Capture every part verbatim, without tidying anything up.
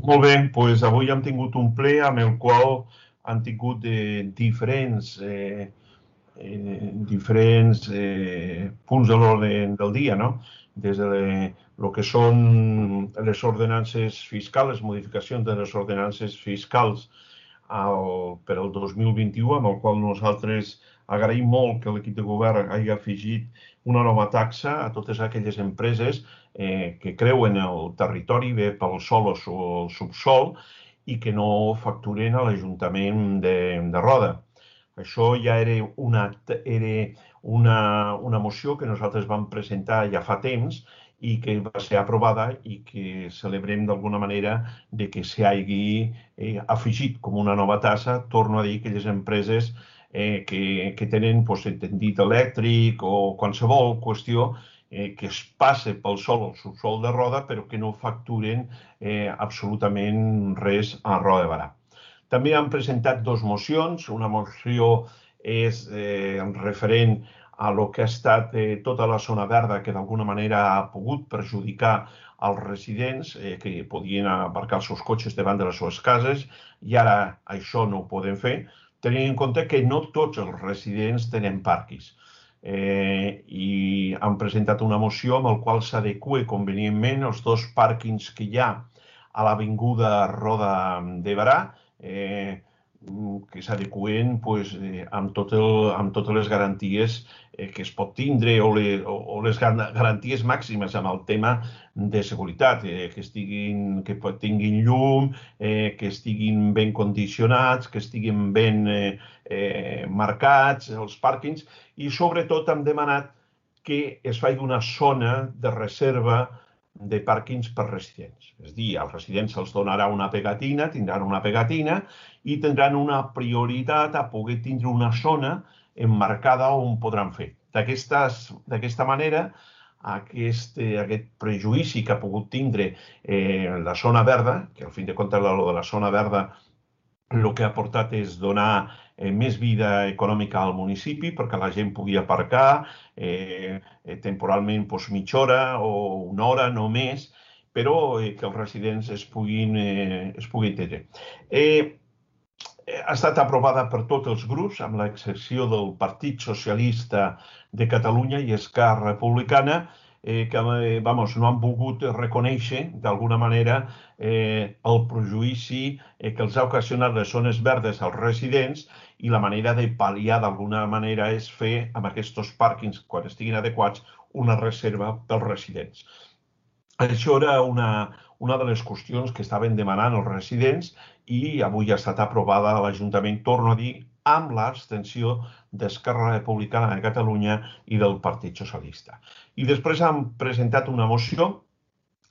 Molt bé, doncs avui hem tingut un ple amb el qual han tingut eh, diferents, eh, eh, diferents eh, punts de l'ordre del dia, no? Des de el que són les ordenances fiscals, les modificacions de les ordenances fiscals al, per al dos mil vint-i-u, amb el qual nosaltres agraïm molt que l'equip de govern hagi afegit una nova taxa a totes aquelles empreses eh, que creuen el territori, bé pel sòl o el subsòl, i que no facturen a l'Ajuntament de, de Roda. Això ja era, una, era una, una moció que nosaltres vam presentar ja fa temps i que va ser aprovada i que celebrem d'alguna manera de que s'hagi eh, afegit com una nova tassa. Torno a dir que les empreses eh, que, que tenen pues, tendit elèctric o qualsevol qüestió eh, que es passe pel sòl o subsòl de Roda, però que no facturen eh, absolutament res a Roda de Barà. També han presentat dues mocions. Una moció és eh, referent a lo que ha estat eh, tota la zona verda que d'alguna manera ha pogut perjudicar als residents eh, que podien aparcar els seus cotxes davant de les seves cases i ara això no ho poden fer, tenint en compte que no tots els residents tenen parquis. Eh, I han presentat una moció amb la qual s'adequa convenientment els dos pàrquings que hi ha a l'avinguda Roda de Barà, eh, que s'adeqüen pues, eh, amb, tot el, amb totes les garanties eh, que es pot tindre o, le, o, o les garanties màximes amb el tema de seguretat, eh, que, estiguin, que tinguin llum, eh, que estiguin ben condicionats, que estiguin ben eh, eh, marcats els pàrquings i sobretot hem demanat que es faci una zona de reserva de pàrquings per residents. És a dir, als residents se'ls donarà una pegatina, tindran una pegatina i tindran una prioritat a poder tindre una zona emmarcada on podran fer. D'aquesta manera, aquest, aquest prejudici que ha pogut tindre eh, la zona verda, que al fin de comptes lo de la zona verda el que ha portat és donar eh, més vida econòmica al municipi perquè la gent pugui aparcar eh, eh, temporalment pues, mitja hora o una hora, no més, però eh, que els residents es puguin, eh, es puguin tenir. Eh, ha estat aprovada per tots els grups, amb l'excepció del Partit Socialista de Catalunya i Esquerra Republicana, eh, que vamos, no han volgut reconèixer d'alguna manera eh, el prejudici eh, que els ha ocasionat les zones verdes als residents i la manera de pal·liar d'alguna manera és fer amb aquests pàrquings, quan estiguin adequats, una reserva pels residents. Això era una, una de les qüestions que estaven demanant els residents i avui ha estat aprovada a l'Ajuntament, torno a dir, amb l'abstenció d'Esquerra Republicana de Catalunya i del Partit Socialista. I després han presentat una moció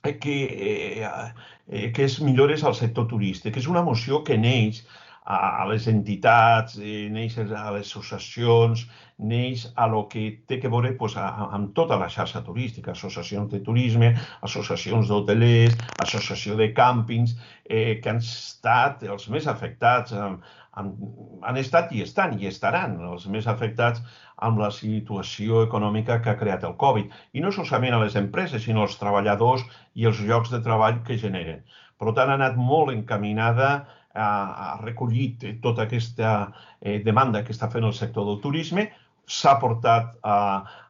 que, eh, que és millores al sector turístic. És una moció que neix a les entitats, neix a les associacions, neix a lo que té que veure pues, amb tota la xarxa turística, associacions de turisme, associacions d'hotelers, associació de càmpings, eh, que han estat els més afectats, amb, amb, han estat i estan i estaran els més afectats amb la situació econòmica que ha creat el Covid. I no solament a les empreses, sinó als treballadors i els llocs de treball que generen. Per tant, ha anat molt encaminada, ha recollit tota aquesta demanda que està fent el sector del turisme, s'ha portat a,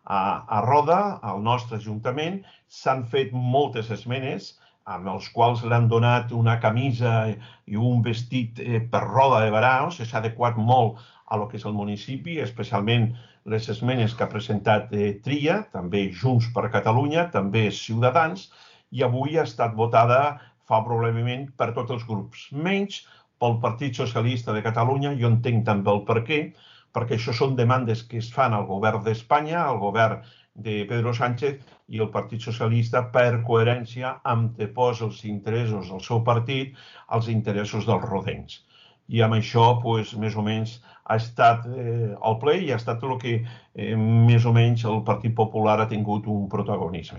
a, a Roda, al nostre Ajuntament, s'han fet moltes esmenes, amb els quals l'han donat una camisa i un vestit per Roda de Barà, o sigui, s'ha adequat molt a lo que és el municipi, especialment les esmenes que ha presentat Tria, també Junts per Catalunya, també Ciutadans, i avui ha estat votada favorablement per tots els grups, menys pel Partit Socialista de Catalunya. Jo entenc també el per què, perquè això són demandes que es fan al govern d'Espanya, al govern de Pedro Sánchez, i el Partit Socialista, per coherència, anteposa els interessos del seu partit als interessos dels rodencs. I amb això, pues, més o menys, ha estat eh, el ple i ha estat el que eh, més o menys el Partit Popular ha tingut un protagonisme.